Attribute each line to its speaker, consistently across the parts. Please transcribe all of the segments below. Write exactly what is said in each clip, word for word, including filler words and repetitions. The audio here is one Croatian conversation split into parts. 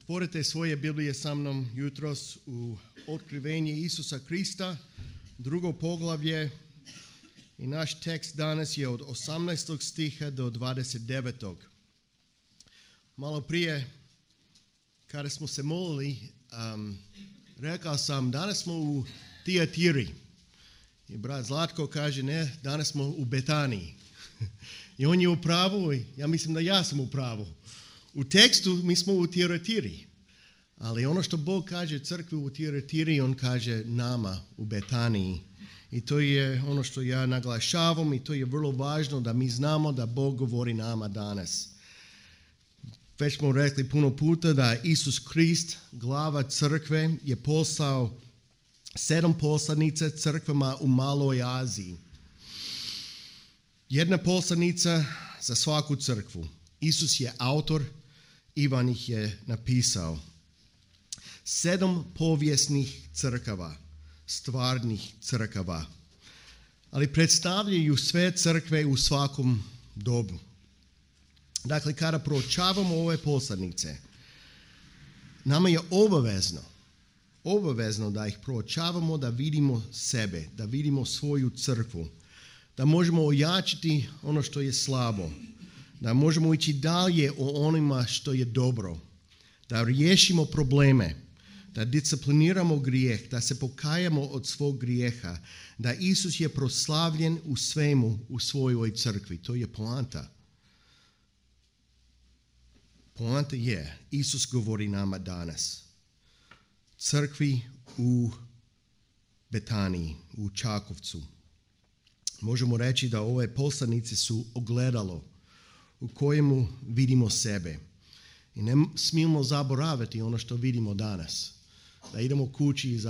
Speaker 1: Otvorite svoje Biblije sa mnom jutros u Otkrivenje Isusa Krista, drugo poglavlje, i naš tekst danas je od osamnaestog stiha do dvadeset devetog. Malo prije, kada smo se molili, um, rekao sam, danas smo u Tijatiri. I brat Zlatko kaže, ne, danas smo u Betaniji. I on je u pravu, i ja mislim da ja sam u pravu. U tekstu mi smo u Tijatiri, ali ono što Bog kaže crkvi u Tijatiri, on kaže nama u Betaniji. I to je ono što ja naglašavam i to je vrlo važno da mi znamo da Bog govori nama danas. Već smo rekli puno puta da Isus Krist, glava crkve, je poslao sedam poslanica crkvama u Maloj Aziji. Jedna poslanica za svaku crkvu. Isus je autor, Ivan ih je napisao. Sedam povijesnih crkava, stvarnih crkava, ali predstavljaju sve crkve u svakom dobu. Dakle, kada proučavamo ove poslanice, nama je obavezno, obavezno da ih proučavamo, da vidimo sebe, da vidimo svoju crkvu, da možemo ojačiti ono što je slabo, da možemo ići dalje o onima što je dobro, da riješimo probleme, da discipliniramo grijeh, da se pokajamo od svog grijeha, da Isus je proslavljen u svemu u svojoj crkvi. To je poanta. Poanta je, Isus govori nama danas. Crkvi u Betaniji, u Čakovcu. Možemo reći da ove poslanice su ogledalo u kojemu vidimo sebe. I ne smijemo zaboraviti ono što vidimo danas. Da idemo kući i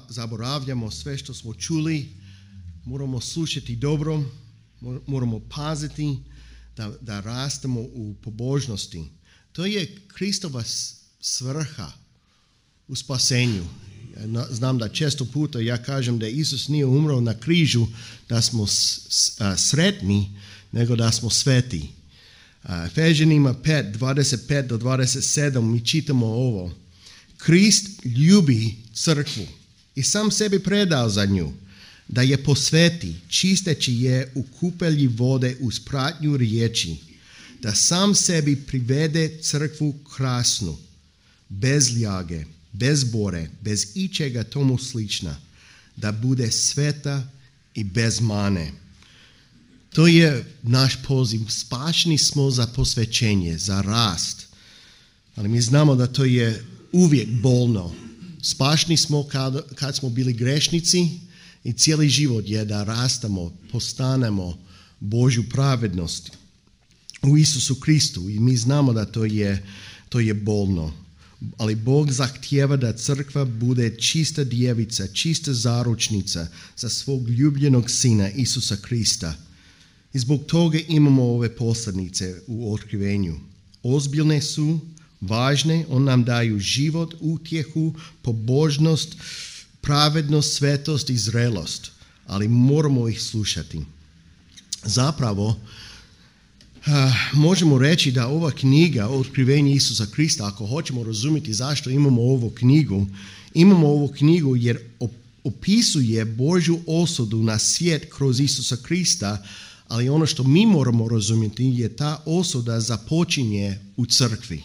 Speaker 1: zaboravljamo sve što smo čuli, moramo slušati dobro, moramo paziti da, da rastemo u pobožnosti. To je Kristova svrha u spasenju. Znam da često puta ja kažem da Isus nije umro na križu da smo sretni, nego da smo sveti. Efežanima pet, dvadeset pet do dvadeset sedam mi čitamo ovo. Krist ljubi crkvu i sam sebi predao za nju, da je posveti, čisteći je u kupelji vode uz pratnju riječi, da sam sebi privede crkvu krasnu, bez ljage, bez bore, bez ičega tomu slična, da bude sveta i bez mane. To je naš poziv. Spašeni smo za posvećenje, za rast. Ali mi znamo da to je uvijek bolno. Spašeni smo kad, kad smo bili grešnici i cijeli život je da rastamo, postanemo Božju pravednost u Isusu Kristu. I mi znamo da to je, to je bolno. Ali Bog zahtijeva da crkva bude čista djevica, čista zaručnica za svog ljubljenog sina Isusa Krista. I zbog toga imamo ove poslanice u otkrivenju. Ozbiljne su, važne, on nam daju život, utjehu, pobožnost, pravednost, svetost i zrelost. Ali moramo ih slušati. Zapravo, uh, možemo reći da ova knjiga, Otkrivenje Isusa Krista, ako hoćemo razumjeti zašto imamo ovu knjigu, imamo ovu knjigu jer opisuje Božju osudu na svijet kroz Isusa Krista, ali ono što mi moramo razumjeti je ta osuda započinje u crkvi.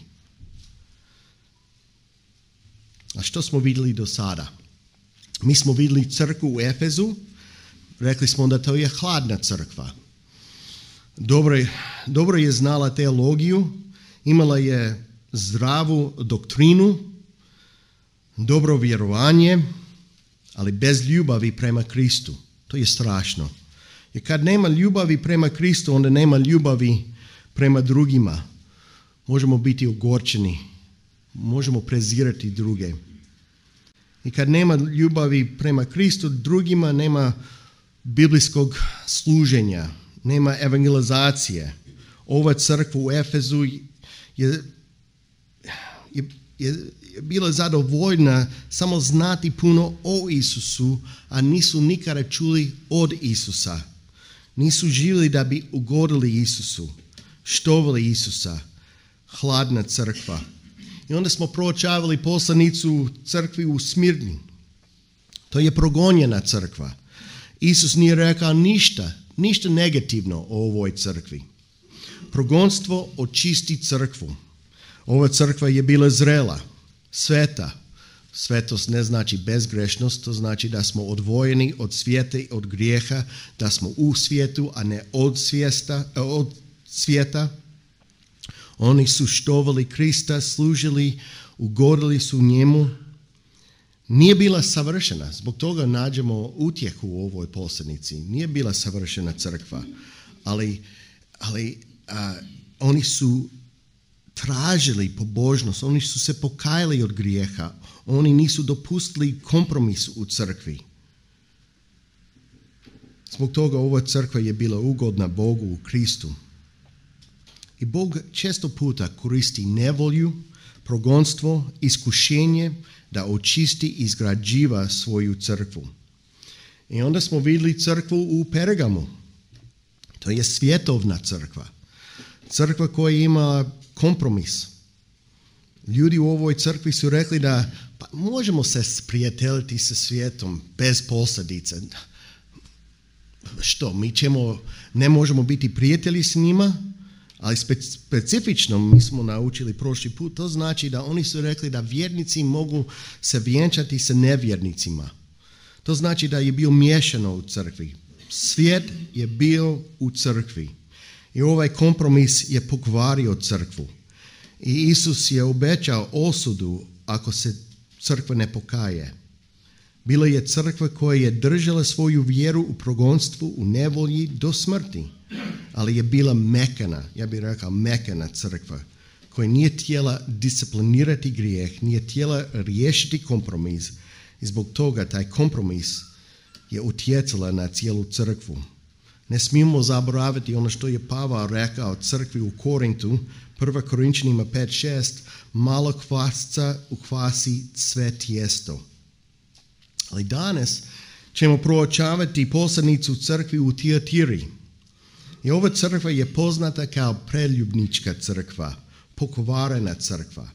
Speaker 1: A što smo vidjeli do sada? Mi smo vidjeli crkvu u Efezu, rekli smo da to je hladna crkva. Dobro je, dobro je znala teologiju, imala je zdravu doktrinu, dobro vjerovanje, ali bez ljubavi prema Kristu. To je strašno. Jer kad nema ljubavi prema Kristu, onda nema ljubavi prema drugima. Možemo biti ogorčeni, možemo prezirati druge. I kad nema ljubavi prema Kristu, drugima nema biblijskog služenja, nema evangelizacije. Ova crkva u Efezu je, je, je bila zadovoljna samo znati puno o Isusu, a nisu nikada čuli od Isusa. Nisu živjeli da bi ugodili Isusu, štovali Isusa. Hladna crkva. I onda smo proučavali poslanicu crkvi u Smirni. To je progonjena crkva. Isus nije rekao ništa, ništa negativno o ovoj crkvi. Progonstvo očisti crkvu. Ova crkva je bila zrela, sveta. Svetost ne znači bezgrešnost, to znači da smo odvojeni od svijeta i od grijeha, da smo u svijetu, a ne od, svijesta, od svijeta. Oni su štovali Krista, služili, ugodili su njemu. Nije bila savršena, zbog toga nađemo utjehu u ovoj poslanici. Nije bila savršena crkva, ali, ali a, oni su tražili pobožnost, oni su se pokajali od grijeha, oni nisu dopustili kompromis u crkvi. Zbog toga ova crkva je bila ugodna Bogu u Kristu. I Bog često puta koristi nevolju, progonstvo, iskušenje da očisti i izgrađiva svoju crkvu. I onda smo vidjeli crkvu u Pergamu. To je svjetovna crkva. Crkva koja ima kompromis. Ljudi u ovoj crkvi su rekli da pa možemo se sprijateljiti sa svijetom bez posljedica. Što, mi ćemo, ne možemo biti prijatelji s njima, ali specifično mi smo naučili prošli put, to znači da oni su rekli da vjernici mogu se vjenčati sa nevjernicima. To znači da je bio miješano u crkvi. Svijet je bio u crkvi. I ovaj kompromis je pokvario crkvu. I Isus je obećao osudu ako se crkva ne pokaje. Bila je crkva koja je držala svoju vjeru u progonstvu, u nevolji do smrti. Ali je bila mekana, ja bih rekao mekana crkva, koja nije htjela disciplinirati grijeh, nije htjela riješiti kompromis. I zbog toga taj kompromis je utjecala na cijelu crkvu. Ne smijemo zaboraviti ono što je Pavao rekao crkvi u Korintu, prva Korinčanima pet šest, malo kvasca ukvasi sve tijesto. Ali danas ćemo proučavati poslanicu crkvi u Tiatiri. I ova crkva je poznata kao preljubnička crkva, pokvarena crkva.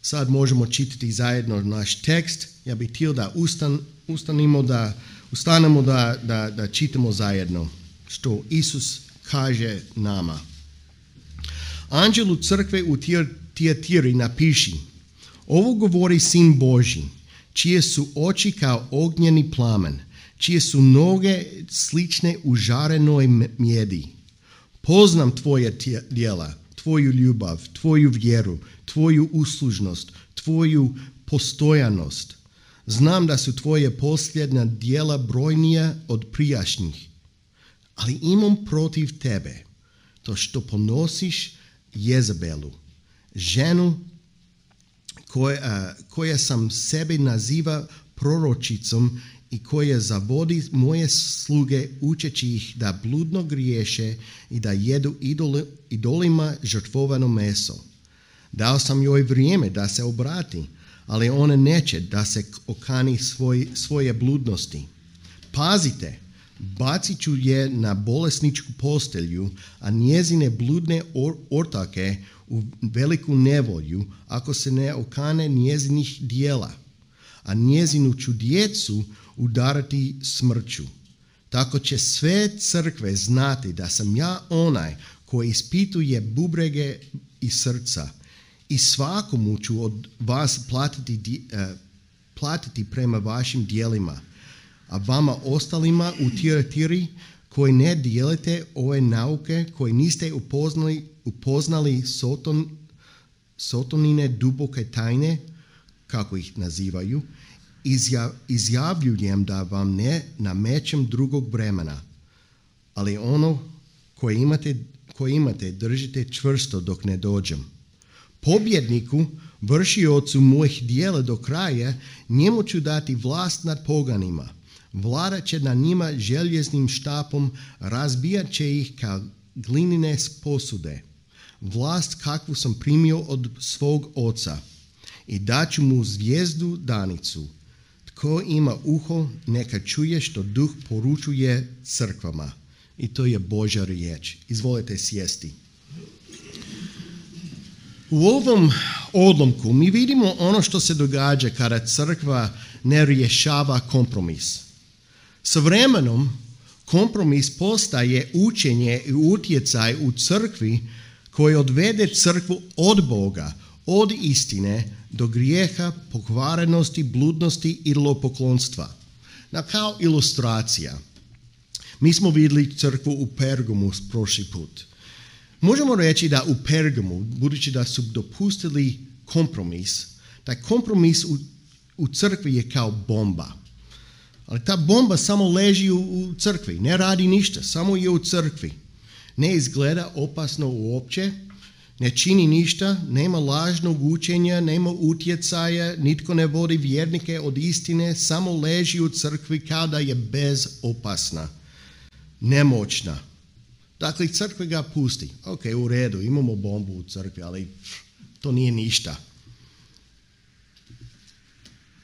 Speaker 1: Sad možemo čitati zajedno naš tekst. Ja bih htio da ustan, ustanimo, da, ustanemo da, da, da čitamo zajedno što Isus kaže nama. Anđelu crkve u Tiatiri napiši: ovo govori Sin Božji, čije su oči kao ognjeni plamen, čije su noge slične užarenoj mjedi. Poznam tvoje djela, tvoju ljubav, tvoju vjeru, tvoju uslužnost, tvoju postojanost. Znam da su tvoje posljednja djela brojnija od prijašnjih, ali imam protiv tebe to što ponosiš Jezabelu, ženu koja, koja sam sebe naziva proročicom i koja zavodi moje sluge učeći ih da bludno griješe i da jedu idol, idolima žrtvovano meso. Dao sam joj vrijeme da se obrati, ali ona neće da se okani svoj, svoje bludnosti. Pazite, bacit ću je na bolesničku postelju, a njezine bludne or, ortake u veliku nevolju ako se ne okane njezinih dijela, a njezinu ću djecu udarati smrću. Tako će sve crkve znati da sam ja onaj koji ispituje bubrege i srca i svakomu ću od vas platiti, uh, platiti prema vašim dijelima. A vama ostalima u Tiatiri koji ne dijelite ove nauke, koji niste upoznali, upoznali soton, sotonine duboke tajne, kako ih nazivaju, izjav, izjavljujem da vam ne namećem drugog vremena, ali ono koje imate, koje imate držite čvrsto dok ne dođem. Pobjedniku, vršiocu mojih dijela do kraja, njemu ću dati vlast nad poganima. Vladat će na njima željeznim štapom, razbijat će ih kao glinine posude. Vlast kakvu sam primio od svog oca. I daću mu zvijezdu danicu. Tko ima uho, neka čuje što duh poručuje crkvama. I to je Božja riječ. Izvolite sjesti. U ovom odlomku mi vidimo ono što se događa kada crkva ne rješava kompromis. Sa vremenom kompromis postaje učenje i utjecaj u crkvi koji odvede crkvu od Boga, od istine do grijeha, pokvarenosti, bludnosti i idolopoklonstva. Na kao ilustracija, mi smo vidjeli crkvu u Pergamu prošli put. Možemo reći da u Pergamu, budući da su dopustili kompromis, taj kompromis u, u crkvi je kao bomba. Ali ta bomba samo leži u, u crkvi, ne radi ništa, samo je u crkvi. Ne izgleda opasno uopće, ne čini ništa, nema lažnog učenja, nema utjecaja, nitko ne vodi vjernike od istine, samo leži u crkvi kao da je bezopasna, nemoćna. Dakle, crkva ga pusti. Ok, u redu, imamo bombu u crkvi, ali to nije ništa.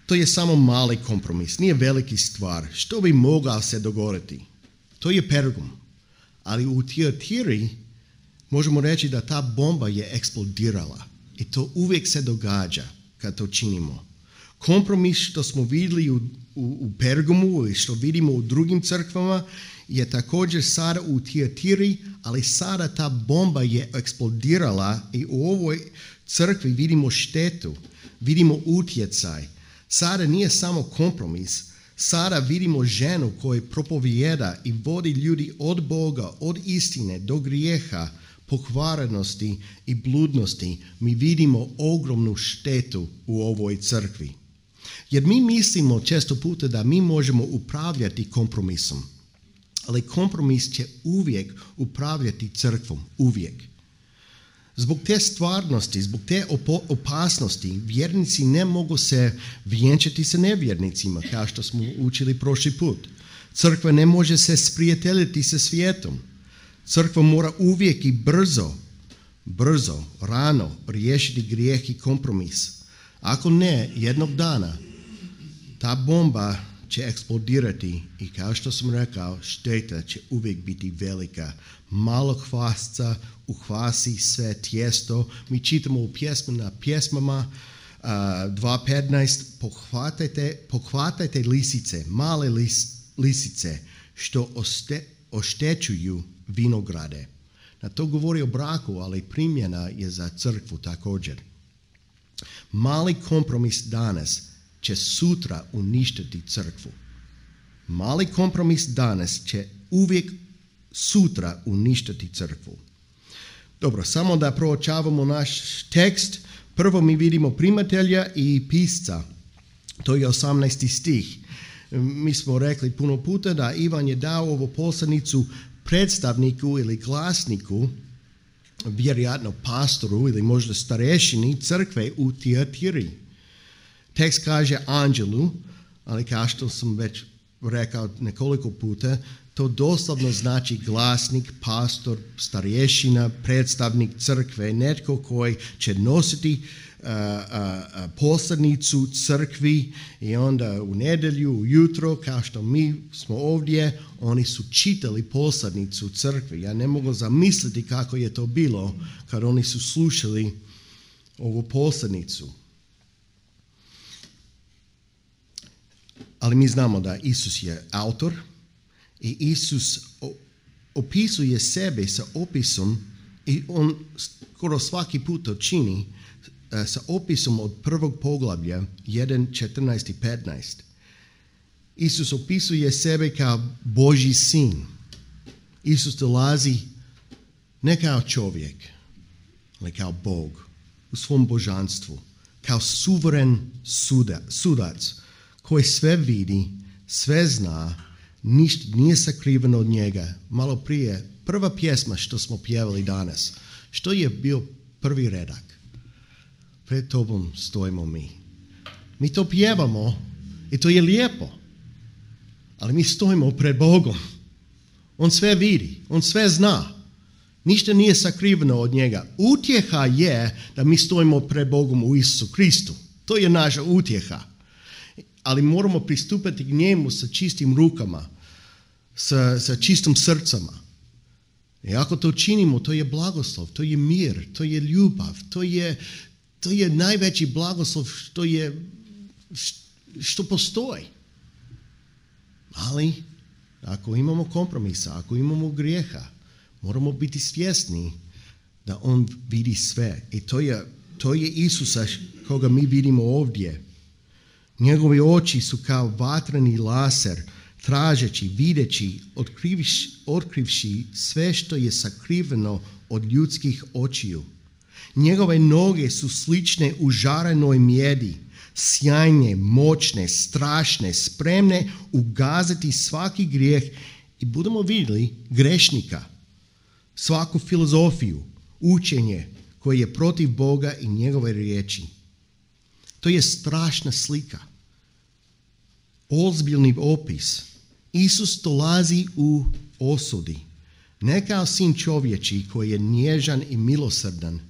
Speaker 1: To je samo mali kompromis, nije veliki stvar. Što bi mogao se dogoditi? To je Pergam. Ali u Tiatiri možemo reći da ta bomba je eksplodirala. I to uvijek se događa kad to činimo. Kompromis što smo vidjeli u, u, u Pergamu i što vidimo u drugim crkvama je također sada u Tiatiri, ali sada ta bomba je eksplodirala i u ovoj crkvi vidimo štetu, vidimo utjecaj. Sada nije samo kompromis, sada vidimo ženu koja propovijeda i vodi ljudi od Boga, od istine do grijeha, pokvarenosti i bludnosti. Mi vidimo ogromnu štetu u ovoj crkvi. Jer mi mislimo često puta da mi možemo upravljati kompromisom. Ali kompromis će uvijek upravljati crkvom, uvijek. Zbog te stvarnosti, zbog te opasnosti, vjernici ne mogu se vjenčati sa nevjernicima, kao što smo učili prošli put. Crkva ne može se sprijateljiti sa svijetom. Crkva mora uvijek i brzo, brzo, rano riješiti grijeh i kompromis. Ako ne, jednog dana ta bomba će eksplodirati i kao što sam rekao, šteta će uvijek biti velika. Malo hvasca uhvasi sve tijesto. Mi čitamo u pjesmama, pjesmama uh, dva petnaest, pohvatajte, pohvatajte lisice, male lis, lisice što oste, oštećuju vinograde. Na to govori o braku, ali primjena je za crkvu također. Mali kompromis danas će sutra uništiti crkvu. Mali kompromis danas će uvijek sutra uništiti crkvu. Dobro, samo da proučavamo naš tekst. Prvo mi vidimo primatelja i pisca. To je osamnaesti stih. Mi smo rekli puno puta da Ivan je dao ovu poslanicu predstavniku ili glasniku, vjerojatno pastoru ili možda starešini crkve u Tiatiri. Tekst kaže anđelu, ali kao što sam već rekao nekoliko puta, to doslovno znači glasnik, pastor, starješina, predstavnik crkve, netko koji će nositi uh, uh, poslanicu crkvi i onda u nedjelju, ujutro, kao što mi smo ovdje, oni su čitali poslanicu crkvi. Ja ne mogu zamisliti kako je to bilo kad oni su slušali ovu poslanicu. Ali mi znamo da Isus je autor i Isus opisuje sebe sa opisom i on skoro svaki put to čini sa opisom od prvog poglavlja jedan, četrnaest i petnaest. Isus opisuje sebe kao Božji sin. Isus dolazi ne kao čovjek, ali kao Bog u svom božanstvu, kao suveren suda, sudac koji sve vidi, sve zna, ništa nije sakriveno od njega. Malo prije, prva pjesma što smo pjevali danas, što je bio prvi redak? Pred tobom stojimo mi. Mi to pjevamo i to je lijepo, ali mi stojimo pred Bogom. On sve vidi, on sve zna. Ništa nije sakriveno od njega. Utjeha je da mi stojimo pred Bogom u Isusu Kristu. To je naša utjeha. Ali moramo pristupati k njemu sa čistim rukama, sa, sa čistom srcama. I ako to činimo, to je blagoslov, to je mir, to je ljubav, to je, to je najveći blagoslov što je, što postoji. Ali ako imamo kompromisa, ako imamo grijeha, moramo biti svjesni da on vidi sve. I to je, to je Isusa koga mi vidimo ovdje. Njegove oči su kao vatreni laser, tražeći, videći, otkrivši, otkrivši sve što je sakriveno od ljudskih očiju. Njegove noge su slične užarenoj mjedi, sjajne, moćne, strašne, spremne ugaziti svaki grijeh i budemo vidjeli grešnika, svaku filozofiju, učenje koje je protiv Boga i njegove riječi. To je strašna slika. Ozbiljni opis. Isus dolazi u osudi, ne kao sin čovječi koji je nježan i milosrdan,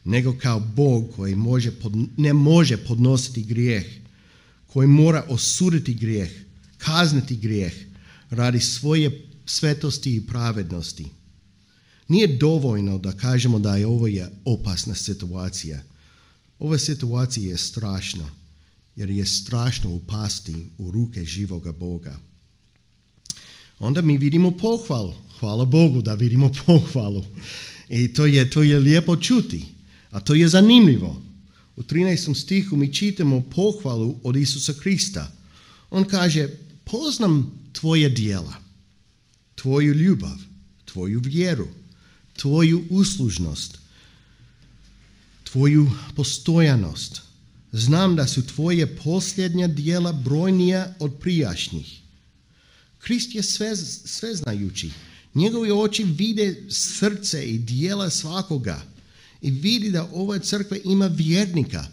Speaker 1: nego kao Bog koji može pod, ne može podnositi grijeh, koji mora osuditi grijeh, kazniti grijeh radi svoje svetosti i pravednosti. Nije dovoljno da kažemo da je ovo je opasna situacija. Ova situacija je strašna, jer je strašno upasti u ruke živoga Boga. Onda mi vidimo pohvalu. Hvala Bogu da vidimo pohvalu. I to je, to je lijepo čuti. A to je zanimljivo. U trinaestom stihu mi čitamo pohvalu od Isusa Krista. On kaže, poznam tvoje djela, tvoju ljubav, tvoju vjeru, tvoju uslužnost, tvoju postojanost. Znam da su tvoje posljednja djela brojnija od prijašnjih. Krist je sve, sveznajući. Njegovi oči vide srce i djela svakoga. I vidi da ova crkva ima vjernika.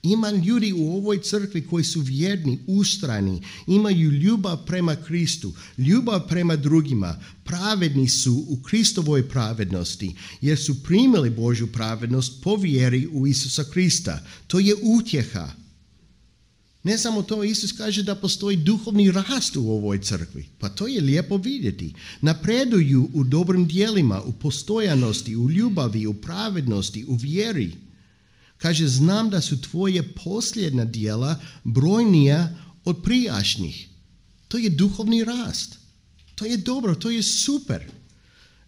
Speaker 1: Ima ljudi u ovoj crkvi koji su vjerni, ustrajni, imaju ljubav prema Kristu, ljubav prema drugima, pravedni su u Kristovoj pravednosti, jer su primili Božju pravednost po vjeri u Isusa Krista. To je utjeha. Ne samo to, Isus kaže da postoji duhovni rast u ovoj crkvi. Pa to je lijepo vidjeti. Napreduju u dobrim djelima, u postojanosti, u ljubavi, u pravednosti, u vjeri. Kaže, znam da su tvoje posljednja djela brojnija od prijašnjih. To je duhovni rast. To je dobro, to je super.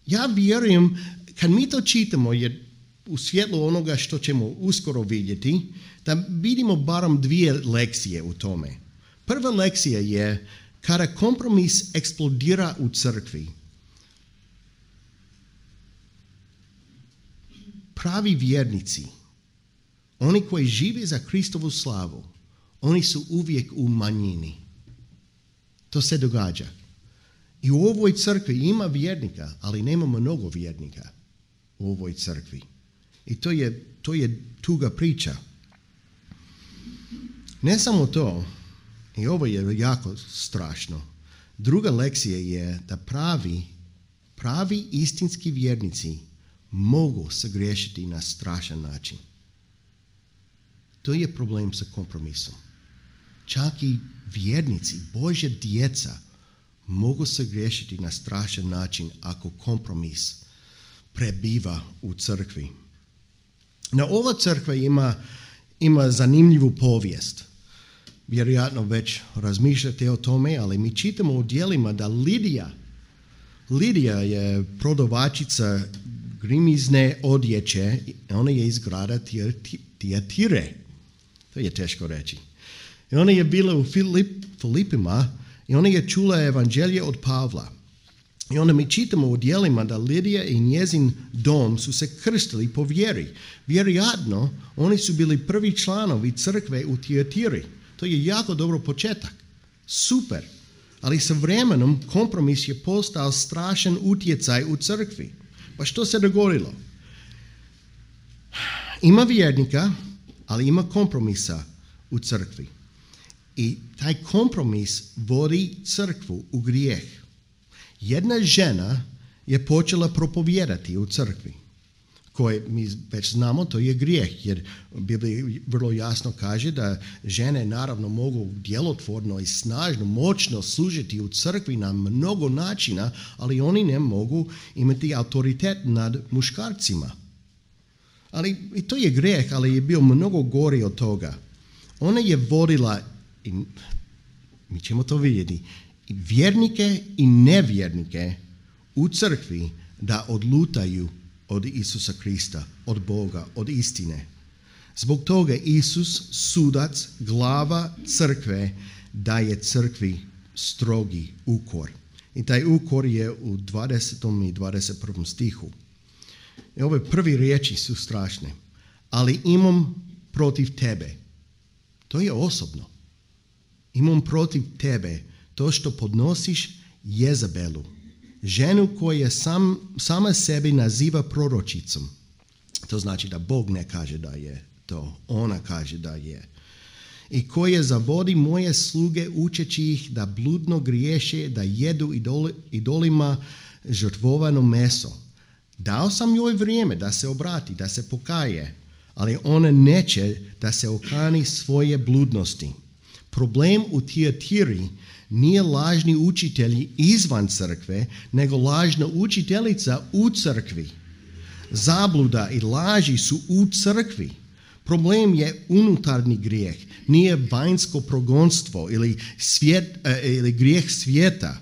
Speaker 1: Ja vjerujem, kad mi to čitamo, jer u svjetlu onoga što ćemo uskoro vidjeti, da vidimo barem dvije lekcije u tome. Prva lekcija je kada kompromis eksplodira u crkvi. Pravi vjernici, oni koji žive za Kristovu slavu, oni su uvijek u manjini. To se događa. I u ovoj crkvi ima vjernika, ali nema mnogo vjernika u ovoj crkvi. I to je, to je tuga priča. Ne samo to, i ovo je jako strašno. Druga lekcija je da pravi, pravi istinski vjernici mogu sagriješiti na strašan način. To je problem sa kompromisom. Čak i vjernici, Božja djeca, mogu sagriješiti na strašan način ako kompromis prebiva u crkvi. No, ova crkva ima, ima zanimljivu povijest. Vjerojatno već razmišljate o tome, ali mi čitamo u djelima da Lidija, Lidija je prodavačica grimizne odjeće, ona je iz grada Tiatire. To je teško reći. I ona je bila u Filip, Filipima i ona je čula evanđelje od Pavla. I onda mi čitamo u djelima da Lidija i njezin dom su se krstili po vjeri. Vjerojatno oni su bili prvi članovi crkve u Tiatiri. To je jako dobro početak. Super. Ali sa vremenom kompromis je postao strašan utjecaj u crkvi. Pa što se dogodilo? Ima vjernika, ali ima kompromisa u crkvi. I taj kompromis vodi crkvu u grijeh. Jedna žena je počela propovijedati u crkvi, koje mi već znamo, to je grijeh, jer Biblija vrlo jasno kaže da žene naravno mogu djelotvorno i snažno, moćno služiti u crkvi na mnogo načina, ali oni ne mogu imati autoritet nad muškarcima. Ali i to je grijeh, ali je bio mnogo gori od toga. Ona je vodila, i mi ćemo to vidjeti, i vjernike i nevjernike u crkvi da odlutaju od Isusa Krista, od Boga, od istine. Zbog toga Isus, sudac, glava crkve, daje crkvi strogi ukor. I taj ukor je u dvadesetom i dvadeset prvom stihu. I ove prvi riječi su strašne. Ali imam protiv tebe. To je osobno. Imam protiv tebe to što podnosiš Jezabelu, ženu koja sam, sama sebi naziva proročicom. To znači da Bog ne kaže da je to, ona kaže da je. I koja zavodi moje sluge učeći ih da bludno griješe, da jedu idoli, idolima žrtvovano meso. Dao sam joj vrijeme da se obrati, da se pokaje, ali ona neće da se okani svoje bludnosti. Problem u Tiatiri nije lažni učitelji izvan crkve, nego lažna učiteljica u crkvi. Zabluda i laži su u crkvi. Problem je unutarnji grijeh, nije vanjsko progonstvo ili, svijet, ili grijeh svijeta.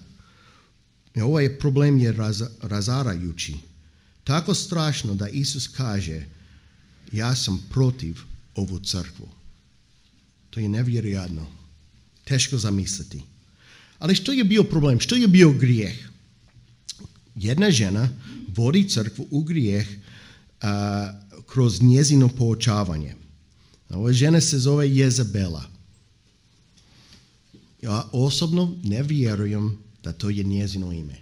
Speaker 1: I ovaj problem je raz, razarajući. Tako strašno da Isus kaže, ja sam protiv ovu crkvu. To je nevjerojatno. Teško zamisliti. Ali što je bio problem? Što je bio grijeh? Jedna žena vodi crkvu u grijeh uh, kroz njezino poučavanje. Ova žena se zove Jezabela. Ja osobno ne vjerujem da to je njezino ime.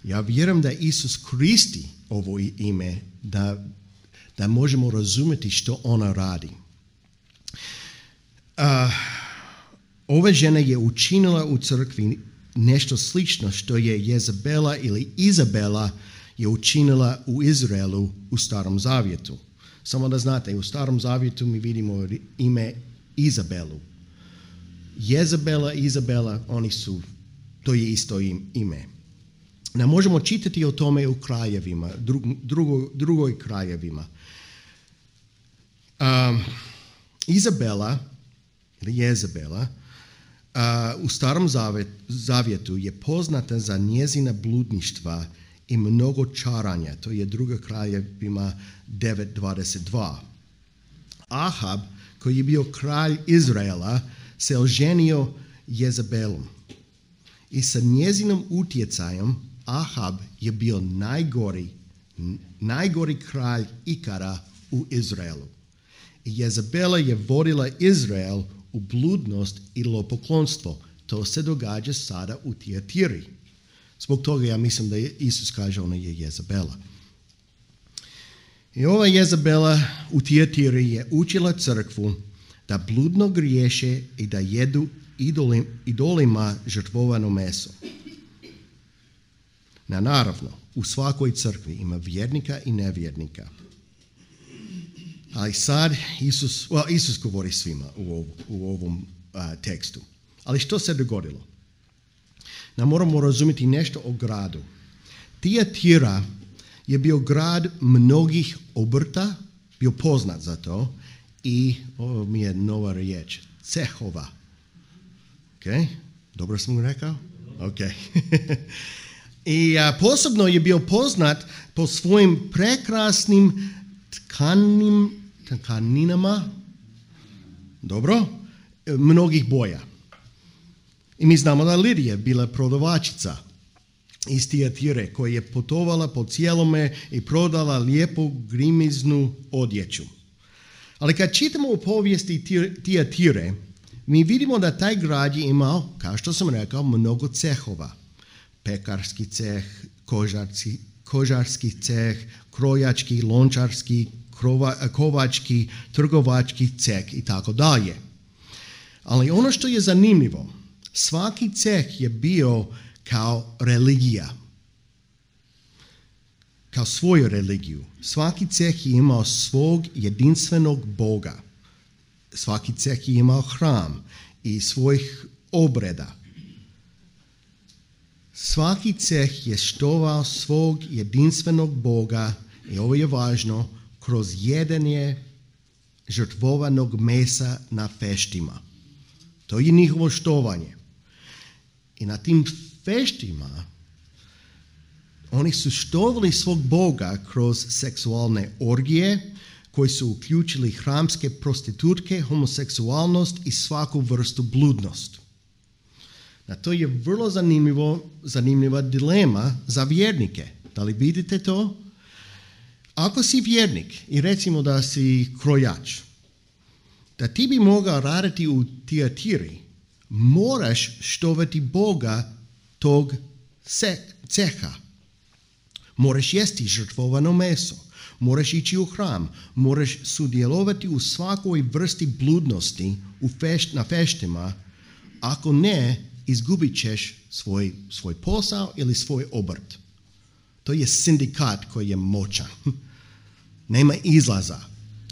Speaker 1: Ja vjerujem da Isus koristi ovo ime da, da možemo razumjeti što ona radi. Uh, ova žena je učinila u crkvi nešto slično što je Jezabela ili Izabela je učinila u Izraelu u Starom Zavjetu. Samo da znate, u Starom Zavjetu mi vidimo ime Izabelu. Jezabela, Izabela, oni su, to je isto ime. Ne možemo čitati o tome u krajevima, drugo, drugoj krajevima. Um, Izabela, ili Jezabela, uh, u Starom Zavjetu je poznata za njezina bludništva i mnogo čaranja. To je druga krajevima devet dvadeset dva. Ahab, koji je bio kralj Izraela, se oženio Jezabelom. I sa njezinom utjecajem Ahab je bio najgori, najgori kralj ikada u Izraelu. I Jezabela je vodila Izrael u bludnost i lopoklonstvo. To se događa sada u Tiatiri. Zbog toga ja mislim da je Isus kaže ona je Jezabela. I ova Jezabela u Tiatiri je učila crkvu da bludno griješe i da jedu idolim, idolima žrtvovano meso. Na naravno, u svakoj crkvi ima vjernika i nevjernika. Ali sad Isus, well, Isus govori svima u, ov, u ovom uh, tekstu. Ali što se dogodilo? Na moramo razumjeti nešto o gradu. Tiatira je bio grad mnogih obrta, bio poznat za to, i ovo mi je nova riječ, cehova. Ok, dobro sam rekao? Ok. I a, posebno je bio poznat po svojim prekrasnim tkanim, tkaninama, dobro, mnogih boja. I mi znamo da Lidija bila prodavačica iz Tiatire koja je putovala po cijelome i prodala lijepu grimiznu odjeću. Ali kad čitamo u povijesti Tiatire, mi vidimo da taj grad je imao, kao što sam rekao, mnogo cehova. Pekarski ceh, kožarski, kožarski ceh, krojački, lončarski, krova, kovački, trgovački ceh i tako dalje. Ali ono što je zanimljivo, svaki ceh je bio kao religija, kao svoju religiju. Svaki ceh je imao svog jedinstvenog Boga. Svaki ceh je imao hram i svojih obreda. Svaki ceh je štovao svog jedinstvenog Boga, i ovo je važno, kroz jedenje žrtvovanog mesa na feštima. To je njihovo štovanje. I na tim feštima oni su štovali svog Boga kroz seksualne orgije koji su uključili hramske prostitutke, homoseksualnost i svaku vrstu bludnost. A to je vrlo zanimljivo, zanimljiva dilema za vjernike. Da li vidite to? Ako si vjernik i recimo da si krojač, da ti bi mogao raditi u Tiatiri, moraš štovati Boga tog ceha. Moraš jesti žrtvovano meso, moraš ići u hram, moraš sudjelovati u svakoj vrsti bludnosti u fešt, na feštima, ako ne, izgubit ćeš svoj, svoj posao ili svoj obrt. To je sindikat koji je moćan. Nema izlaza.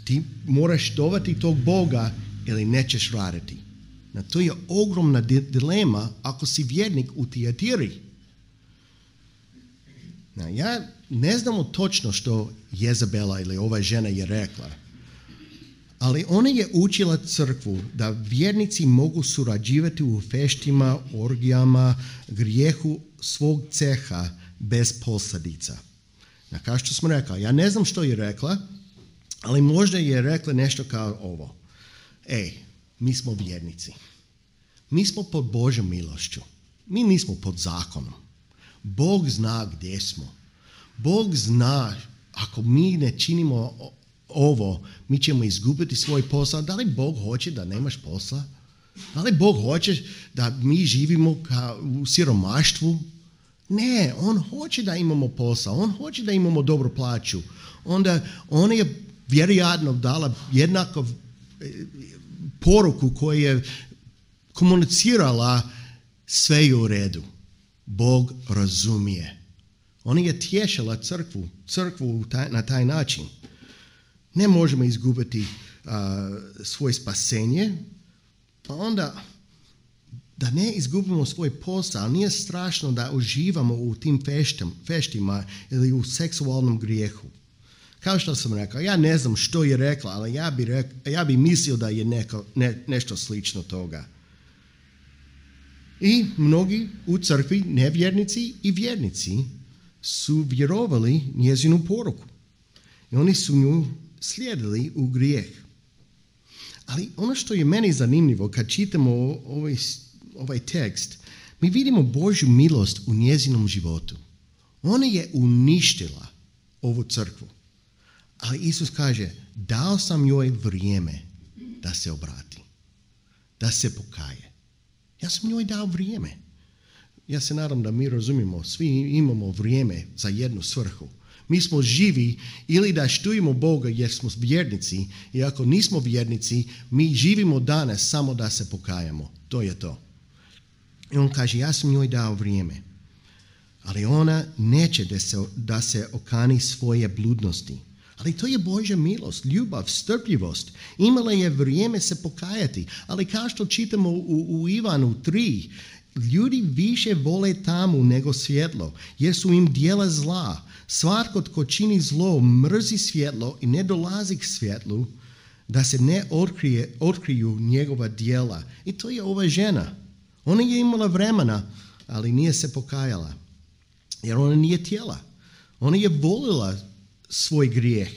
Speaker 1: Ti moraš štovati tog Boga ili nećeš raditi. Na to je ogromna dilema ako si vjernik u Tiatiri. Na, ja ne znamo točno što Jezabela ili ova žena je rekla, ali ona je učila crkvu da vjernici mogu surađivati u feštima, orgijama, grijehu svog ceha bez posljedica. Na, kao što smo rekli, ja ne znam što je rekla, ali možda je rekla nešto kao ovo. Ej, mi smo vjernici. Mi smo pod Božjom milošću. Mi nismo pod zakonom. Bog zna gdje smo. Bog zna, ako mi ne činimo ovo, mi ćemo izgubiti svoj posao. Da li Bog hoće da nemaš posla? Da li Bog hoće da mi živimo kao u siromaštvu? Ne, on hoće da imamo posao. On hoće da imamo dobru plaću. Onda on je vjerojatno dala jednako poruku koju je komunicirala sve je u redu. Bog razumije. Ona je tješila crkvu, crkvu taj, na taj način. Ne možemo izgubiti uh, svoje spasenje, pa onda da ne izgubimo svoj posao. Nije strašno da uživamo u tim feštim, feštima ili u seksualnom grijehu. Kao što sam rekao, ja ne znam što je rekla, ali ja bi, rek, ja bi mislio da je neko, ne, nešto slično toga. I mnogi u crkvi, nevjernici i vjernici, su vjerovali njezinu poruku. I oni su nju slijedili u grijeh. Ali ono što je meni zanimljivo kad čitamo ovaj, ovaj tekst, mi vidimo Božju milost u njezinom životu. Ona je uništila ovu crkvu. Ali Isus kaže, dao sam joj vrijeme da se obrati, da se pokaje. Ja sam njoj dao vrijeme. Ja se nadam da mi razumimo, svi imamo vrijeme za jednu svrhu. Mi smo živi ili da štujemo Boga jer smo vjernici, i ako nismo vjernici, mi živimo danas samo da se pokajamo. To je to. I on kaže, ja sam njoj dao vrijeme. Ali ona neće da se, da se okani svoje bludnosti. Ali to je Božja milost, ljubav, strpljivost. Imala je vrijeme se pokajati. Ali kao što čitamo u, u Ivanu tri, ljudi više vole tamu nego svjetlo, jer su im djela zla. Svatko tko čini zlo mrzi svjetlo i ne dolazi k svjetlu, da se ne otkrije, otkriju njegova djela. I to je ova žena. Ona je imala vremena, ali nije se pokajala. Jer ona nije tijela. Ona je volila svoj grijeh.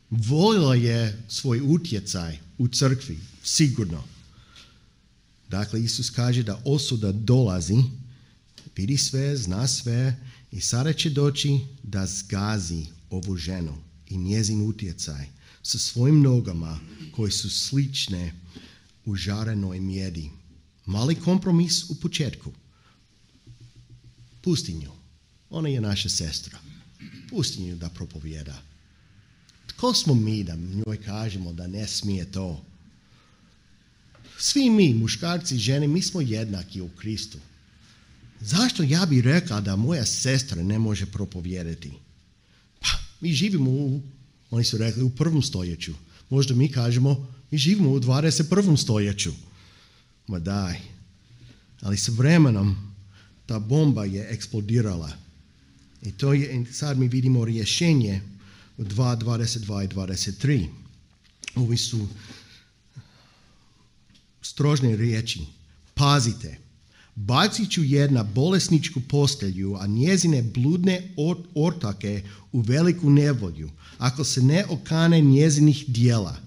Speaker 1: Volila je svoj utjecaj u crkvi, sigurno. Dakle, Isus kaže da osuda dolazi, vidi sve, zna sve i sada će doći da zgazi ovu ženu i njezin utjecaj sa svojim nogama koji su slične u žarenoj mjedi. Mali kompromis u početku. Pusti nju. Ona je naša sestra. Pusti nju da propovjeda. Tko smo mi da njoj kažemo da ne smije to? Svi mi, muškarci i žene, mi smo jednaki u Kristu. Zašto ja bih rekao da moja sestra ne može propovijedati? Pa, mi živimo u, oni su rekli, u prvom stoljeću. Možda mi kažemo, mi živimo u dvadeset prvom stoljeću. Ma daj. Ali sa vremenom ta bomba je eksplodirala. I to je, sad mi vidimo rješenje dva, dvadeset dva i dvadeset tri. Ovi su strožne riječi. Pazite, bacit ću jedna bolesničku postelju, a njezine bludne ortake u veliku nevolju, ako se ne okane njezinih dijela,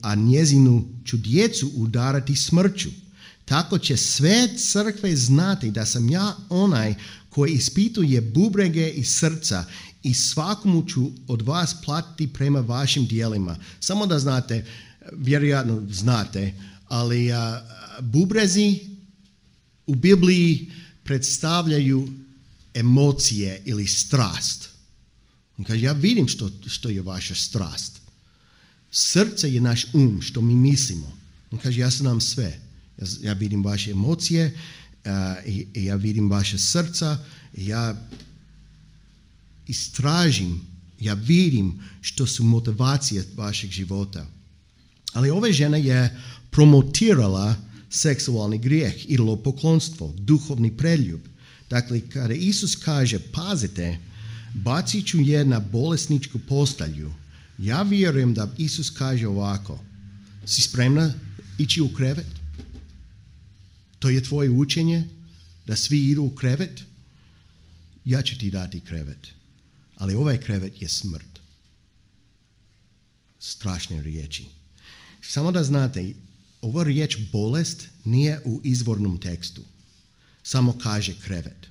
Speaker 1: a njezinu ću djecu udarati smrću. Tako će sve crkve znati da sam ja onaj koji ispituje bubrege i srca i svakomu ću od vas platiti prema vašim dijelima. Samo da znate, vjerojatno znate, ali a, bubrezi u Bibliji predstavljaju emocije ili strast. On kaže, ja vidim što, što je vaša strast. Srce je naš um, što mi mislimo. On kaže, ja znam sve. Ja, ja vidim vaše emocije, uh, i, i ja vidim vaše srca, i ja istražim, ja vidim što su motivacije vašeg života. Ali ova žena je promotirala seksualni grijeh, idolopoklonstvo, duhovni preljub. Dakle, kada Isus kaže, pazite, bacit ću je na bolesničku postelju, ja vjerujem da Isus kaže ovako, si spremna ići u krevet? To je tvoje učenje, da svi idu u krevet? Ja ću ti dati krevet, ali ovaj krevet je smrt. Strašne riječi. Samo da znate, ova riječ bolest nije u izvornom tekstu. Samo kaže krevet.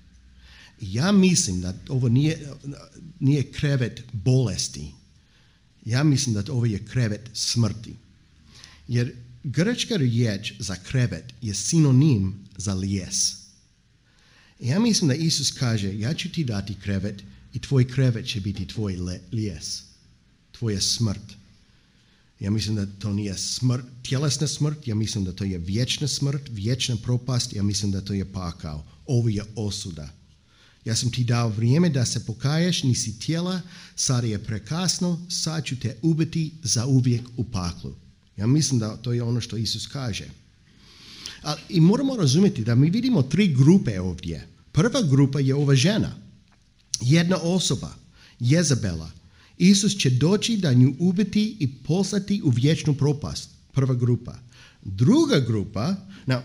Speaker 1: Ja mislim da ovo nije, nije krevet bolesti. Ja mislim da ovo je krevet smrti. Jer grčka riječ za krevet je sinonim za lijes. Ja mislim da Isus kaže, ja ću ti dati krevet i tvoj krevet će biti tvoj lijes. Tvoja smrt. Ja mislim da to nije smrt, tjelesna smrt, ja mislim da to je vječna smrt, vječna propast, ja mislim da to je pakao. Ovo je osuda. Ja sam ti dao vrijeme da se pokaješ, nisi tijela, sad je prekasno, sad ću te ubiti za uvijek u paklu. Ja mislim da to je ono što Isus kaže. A, I moramo razumjeti da mi vidimo tri grupe ovdje. Prva grupa je ova žena. Jedna osoba, Jezabela. Isus će doći da nju ubiti i poslati u vječnu propast. Prva grupa. Druga grupa, no,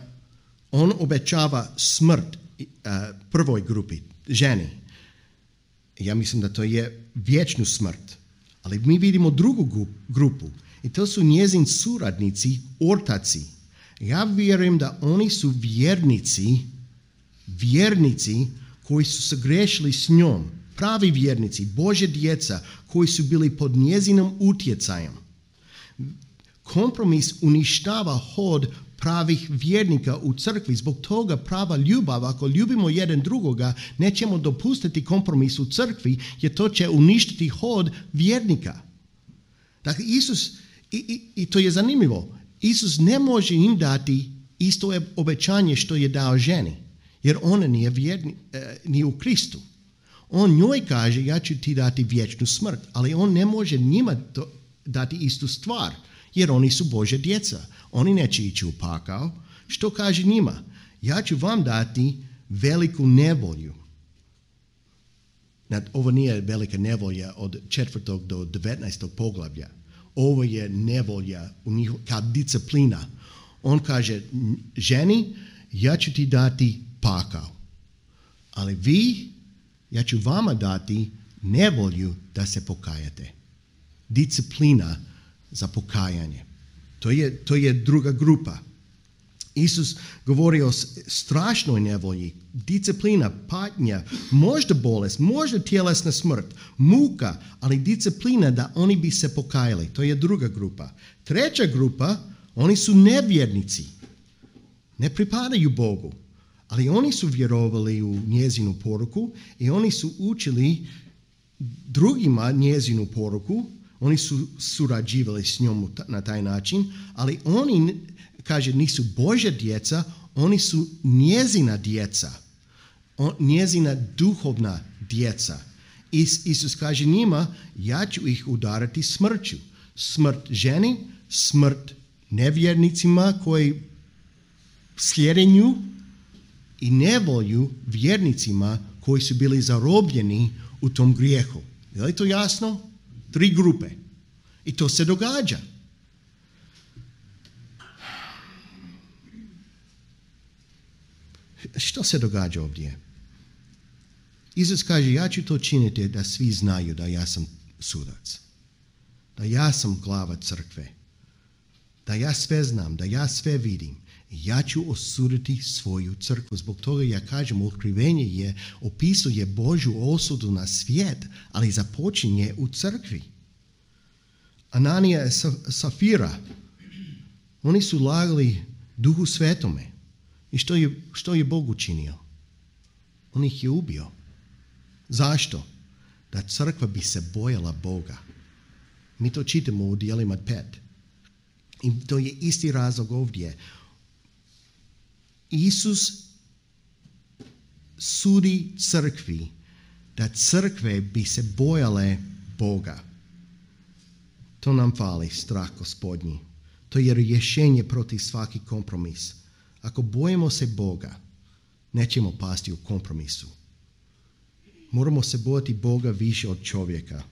Speaker 1: on obećava smrt uh, prvoj grupi, ženi. Ja mislim da to je vječnu smrt. Ali mi vidimo drugu grupu i to su njezin suradnici, ortaci. Ja vjerujem da oni su vjernici, vjernici koji su se grešili s njom. Pravi vjernici, Božja djeca koji su bili pod njezinom utjecajem. Kompromis uništava hod pravih vjernika u crkvi. Zbog toga prava ljubav, ako ljubimo jedan drugoga, nećemo dopustiti kompromis u crkvi, jer to će uništiti hod vjernika. Dakle, Isus, i, i, i to je zanimljivo, Isus ne može im dati isto obećanje što je dao ženi, jer ona nije, vjerni, eh, nije u Kristu. On njoj kaže, ja ću ti dati vječnu smrt, ali on ne može njima to, dati istu stvar, jer oni su Božja djeca. Oni neće ići u pakao. Što kaže njima? Ja ću vam dati veliku nevolju. Ovo nije velika nevolja od četvrtog do devetnaestog poglavlja. Ovo je nevolja u njih, kao disciplina. On kaže, ženi, ja ću ti dati pakao, ali vi, ja ću vama dati nevolju da se pokajate. Disciplina za pokajanje. To je, to je druga grupa. Isus govori o strašnoj nevolji, disciplina, patnja, možda bolest, možda tjelesna smrt, muka, ali disciplina da oni bi se pokajali. To je druga grupa. Treća grupa, oni su nevjernici. Ne pripadaju Bogu. Ali oni su vjerovali u njezinu poruku i oni su učili drugima njezinu poruku. Oni su surađivali s njom na taj način, ali oni, kaže, nisu Božja djeca, oni su njezina djeca, on, njezina duhovna djeca. Is, Isus kaže njima, ja ću ih udarati smrću. Smrt ženi, smrt nevjernicima koji slijede nju i nevolju vjernicima koji su bili zarobljeni u tom grijehu. Je li to jasno? Tri grupe. I to se događa. Što se događa ovdje? Isus kaže, ja ću to činiti da svi znaju da ja sam sudac. Da ja sam glava crkve. Da ja sve znam, da ja sve vidim. Ja ću osuditi svoju crkvu. Zbog toga ja kažem, otkrivenje je, opisuje Božju osudu na svijet, ali započinje u crkvi. Ananija i Safira, oni su lagali Duhu Svetome. I što je, što je Bog učinio? On ih je ubio. Zašto? Da crkva bi se bojala Boga. Mi to čitamo u Djelima pet. I to je isti razlog ovdje. Isus sudi crkvi da crkve bi se bojale Boga. To nam fali, strah Gospodnji. To je rješenje protiv svaki kompromis. Ako bojimo se Boga, nećemo pasti u kompromisu. Moramo se bojati Boga više od čovjeka.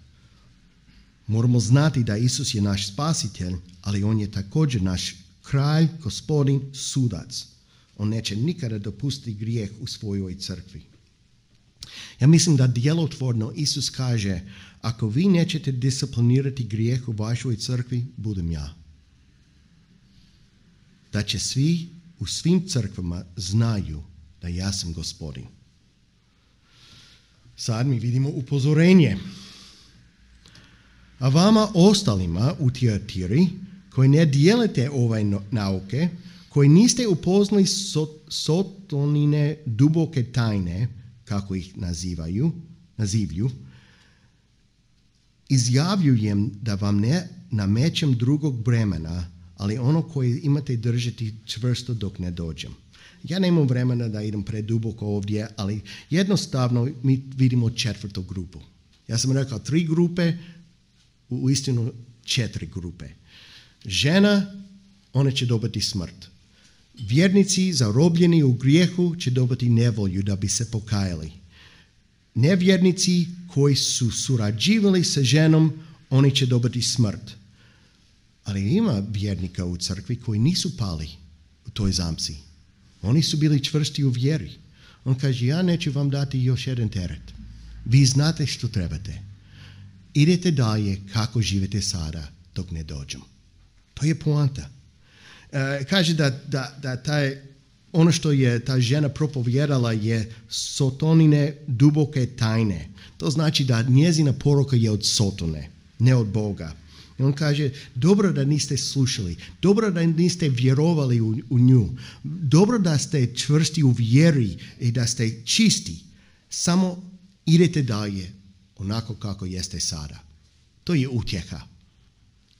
Speaker 1: Moramo znati da Isus je naš spasitelj, ali on je također naš kralj, gospodin, sudac. On neće nikada dopustiti grijeh u svojoj crkvi. Ja mislim da djelotvorno Isus kaže, ako vi nećete disciplinirati grijeh u vašoj crkvi, budem ja. Da će svi u svim crkvama znaju da ja sam gospodin. Sad mi vidimo upozorenje. A vama ostalima u Tiatiri, koji ne dijelite ove nauke, koji niste upoznali Sotonine duboke tajne, kako ih nazivaju, nazivlju, izjavljujem da vam ne namećem drugog bremena, ali ono koje imate držati čvrsto dok ne dođem. Ja nemam vremena da idem preduboko ovdje, ali jednostavno mi vidimo četvrtu grupu. Ja sam rekao tri grupe, u istinu četiri grupe. Žena, ona će dobiti smrt. Vjernici zarobljeni u grijehu će dobiti nevolju da bi se pokajali. Nevjernici koji su surađivali sa ženom, oni će dobiti smrt. Ali ima vjernika u crkvi koji nisu pali u toj zamci. Oni su bili čvrsti u vjeri. On kaže, ja neću vam dati još jedan teret. Vi znate što trebate. Idete dalje kako živite sada dok ne dođem. To je poanta. E, kaže da, da, da taj, ono što je ta žena propovjedala je Sotonine duboke tajne. To znači da njezina poruka je od Sotone, ne od Boga. I on kaže, dobro da niste slušali, dobro da niste vjerovali u, u nju, dobro da ste čvrsti u vjeri i da ste čisti. Samo idete dalje onako kako jeste sada. To je utjeha.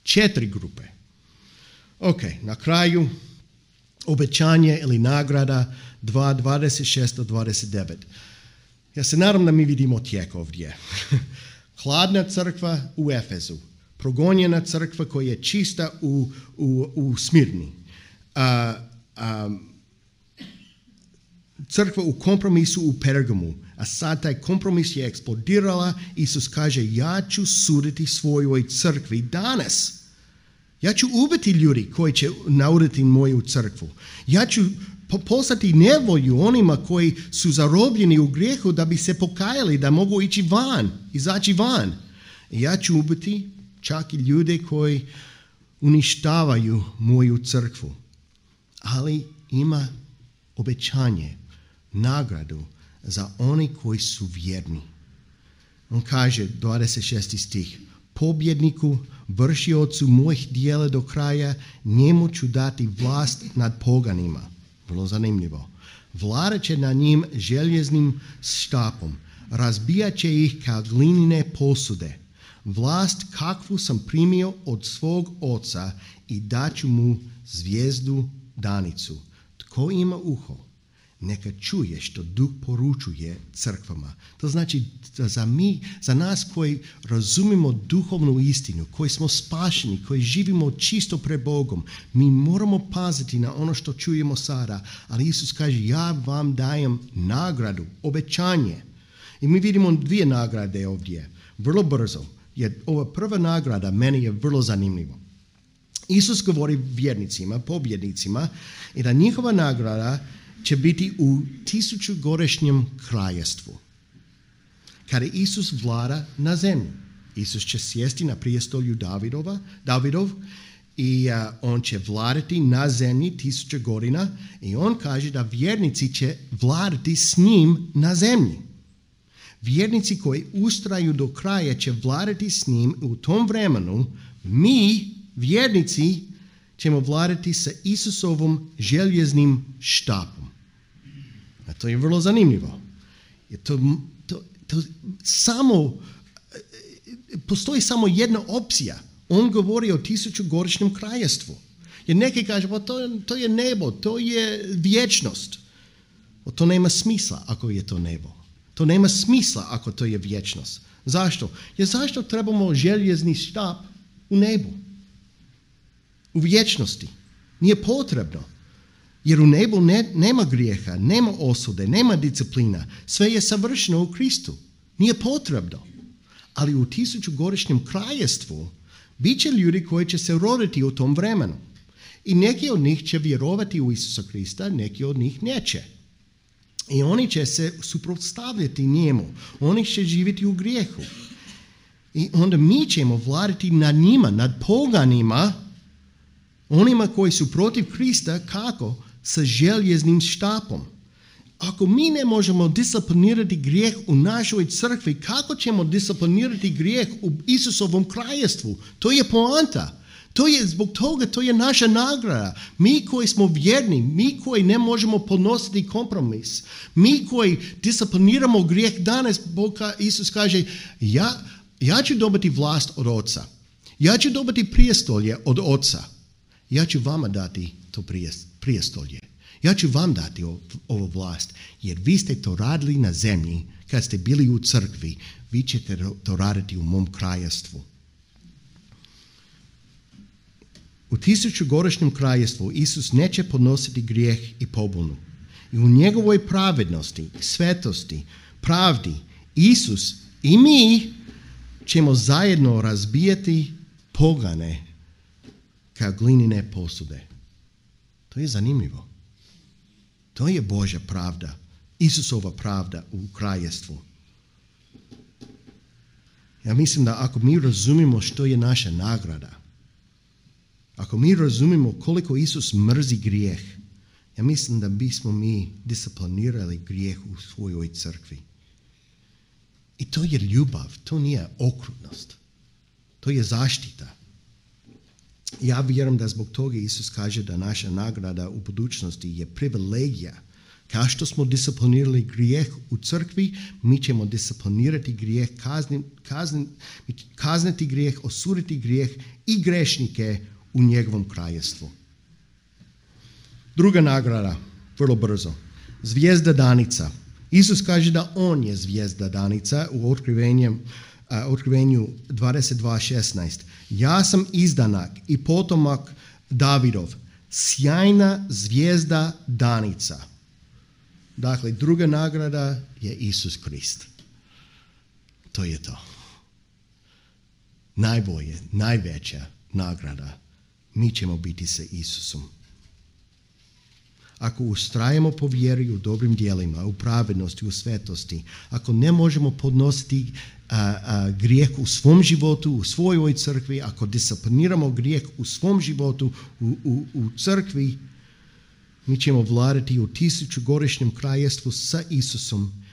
Speaker 1: Četiri grupe. Ok, na kraju obećanje ili nagrada dva, dvadeset šest do dvadeset devet. Ja se nadam da mi vidimo tijek ovdje. Hladna crkva u Efezu. Progonjena crkva koja je čista u, u, u Smirni. A, a, crkva u kompromisu u Pergamu. A sad taj kompromis je eksplodirala. Isus kaže, ja ću suditi svojoj crkvi danas. Ja ću ubiti ljudi koji će nauditi moju crkvu. Ja ću poslati nevolju onima koji su zarobljeni u grijehu da bi se pokajali, da mogu ići van, izaći van. Ja ću ubiti čak i ljude koji uništavaju moju crkvu. Ali ima obećanje, nagradu za oni koji su vjerni. On kaže, dvadeset šesti stih, pobjedniku, vršiocu mojih dijela do kraja, njemu ću dati vlast nad poganima. Vrlo zanimljivo. Vladat će na njim željeznim štapom, razbijat će ih kao glinine posude. Vlast kakvu sam primio od svog oca i daću mu zvijezdu danicu. Tko ima uho, neka čuje što Duh poručuje crkvama. To znači da za, mi, za nas koji razumimo duhovnu istinu, koji smo spašeni, koji živimo čisto pred Bogom, mi moramo paziti na ono što čujemo sada. Ali Isus kaže, ja vam dajem nagradu, obećanje. I mi vidimo dvije nagrade ovdje. Vrlo brzo. jer ova prva nagrada meni je vrlo zanimljiva. Isus govori vjernicima, pobjednicima, i da njihova nagrada će biti u tisućugodišnjem kraljevstvu. Kada Isus vlada na zemlji, Isus će sjesti na prijestolju Davidova, Davidov i uh, on će vladati na zemlji tisuću godina i on kaže da vjernici će vladati s njim na zemlji. Vjernici koji ustraju do kraja će vladati s njim u tom vremenu. Mi, vjernici, ćemo vladati sa Isusovom željeznim štapom. A to je vrlo zanimljivo. Je to, to, to samo, postoji samo jedna opcija. On govori o tisućugodišnjem kraljevstvu. Jer neki kažu, pa to, to je nebo, to je vječnost. O, to nema smisla ako je to nebo. To nema smisla ako to je vječnost. Zašto? Jer zašto trebamo željezni štap u nebu? U vječnosti. Nije potrebno. Jer u nebu ne, nema grijeha, nema osude, nema disciplina. Sve je savršeno u Kristu. Nije potrebno. Ali u tisućugodišnjem kraljevstvu bit će ljudi koji će se roditi u tom vremenu. I neki od njih će vjerovati u Isusa Krista, neki od njih neće. I oni će se suprotstavljati njemu. Oni će živjeti u grijehu. I onda mi ćemo vladati nad njima, nad poganima, onima koji su protiv Krista, kako? Sa željeznim štapom. Ako mi ne možemo disciplinirati grijeh u našoj crkvi, kako ćemo disciplinirati grijeh u Isusovom kraljevstvu? To je poanta. To je, zbog toga to je naša nagrada. Mi koji smo vjerni, mi koji ne možemo podnositi kompromis, mi koji discipliniramo grijeh danas, Bog, Isus kaže, ja, ja ću dobiti vlast od Oca. Ja ću dobiti prijestolje od Oca. Ja ću vama dati to prijestolje. Ja ću vam dati ovu vlast, jer vi ste to radili na zemlji kad ste bili u crkvi. Vi ćete to raditi u mom kraljevstvu. U tisućugodišnjem kraljevstvu Isus neće podnositi grijeh i pobunu. I u njegovoj pravednosti, svetosti, pravdi, Isus i mi ćemo zajedno razbijati pogane kao glinene posude. To je zanimljivo. To je Božja pravda, Isusova pravda u kraljevstvu. Ja mislim da ako mi razumimo što je naša nagrada, ako mi razumimo koliko Isus mrzi grijeh, ja mislim da bismo mi disciplinirali grijeh u svojoj crkvi. I to je ljubav, to nije okrutnost. To je zaštita. Ja vjerujem da zbog toga Isus kaže da naša nagrada u budućnosti je privilegija. Kao što smo disciplinirali grijeh u crkvi, mi ćemo disciplinirati grijeh, kazni, kazni, kazniti grijeh, osuditi grijeh i grešnike u njegovom kraljevstvu. Druga nagrada, vrlo brzo. Zvijezda danica. Isus kaže da on je zvijezda danica u otkrivenju, uh, otkrivenju dvadeset dva šesnaest. Ja sam izdanak i potomak Davidov, sjajna zvijezda danica. Dakle, druga nagrada je Isus Krist. To je to. Najbolje, najveća nagrada. Mi ćemo biti sa Isusom. Ako ustrajemo po vjeri u dobrim djelima, u pravednosti, u svetosti, ako ne možemo podnositi a, a, grijeh u svom životu, u svojoj crkvi, ako discipliniramo grijeh u svom životu, u, u, u crkvi, mi ćemo vladati u tisućugodišnjem kraljevstvu sa Isusom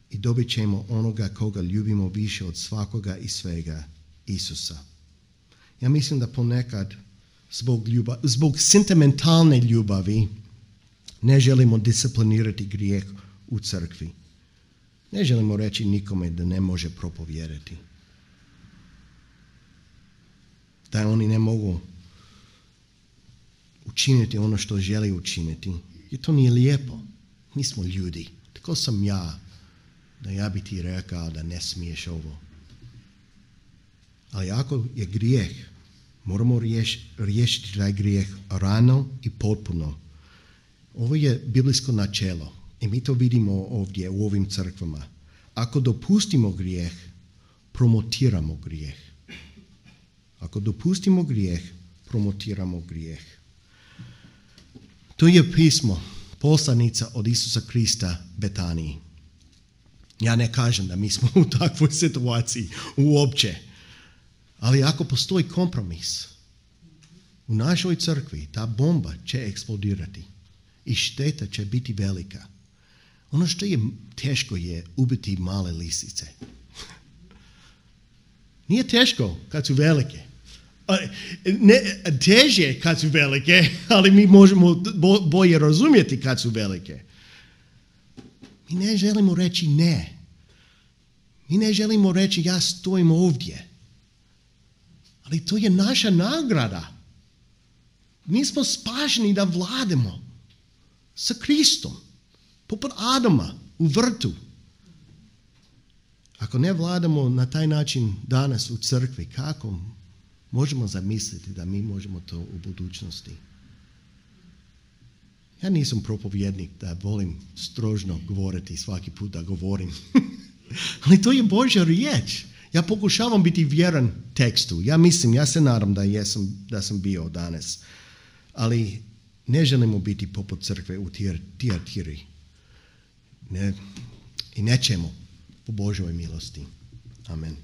Speaker 1: i dobit ćemo onoga koga ljubimo više od svakoga i svega, Isusa. Ja mislim da ponekad zbog, ljubav, zbog sentimentalne ljubavi ne želimo disciplinirati grijeh u crkvi. Ne želimo reći nikome da ne može propovjedati. Da oni ne mogu učiniti ono što želi učiniti. Jer to nije lijepo. Mi smo ljudi. Tako sam ja. Da ja bi ti rekao da ne smiješ ovo. Ali ako je grijeh, moramo riješ, riješiti taj grijeh rano i potpuno. Ovo je biblijsko načelo. I mi to vidimo ovdje u ovim crkvama. Ako dopustimo grijeh, promotiramo grijeh. Ako dopustimo grijeh, promotiramo grijeh. To je pismo, poslanica od Isusa Krista Betaniji. Ja ne kažem da mi smo u takvoj situaciji uopće, ali ako postoji kompromis u našoj crkvi, ta bomba će eksplodirati i šteta će biti velika. Ono što je teško je ubiti male lisice. Nije teško kad su velike. Ne, teže kad su velike, ali mi možemo bolje razumjeti kad su velike. Mi ne želimo reći ne. Mi ne želimo reći ja stojim ovdje. Ali to je naša nagrada. Mi smo spašeni da vladamo sa Kristom, poput Adama u vrtu. Ako ne vladamo na taj način danas u crkvi, kako možemo zamisliti da mi možemo to u budućnosti? Ja nisam propovjednik da volim strožno govoriti svaki put da govorim. Ali to je Božja riječ. Ja pokušavam biti vjeran tekstu. Ja mislim, ja se nadam da, jesam, da sam bio danas. Ali ne želimo biti poput crkve u Tiatiri. Ne, I nećemo po Božjoj milosti. Amen.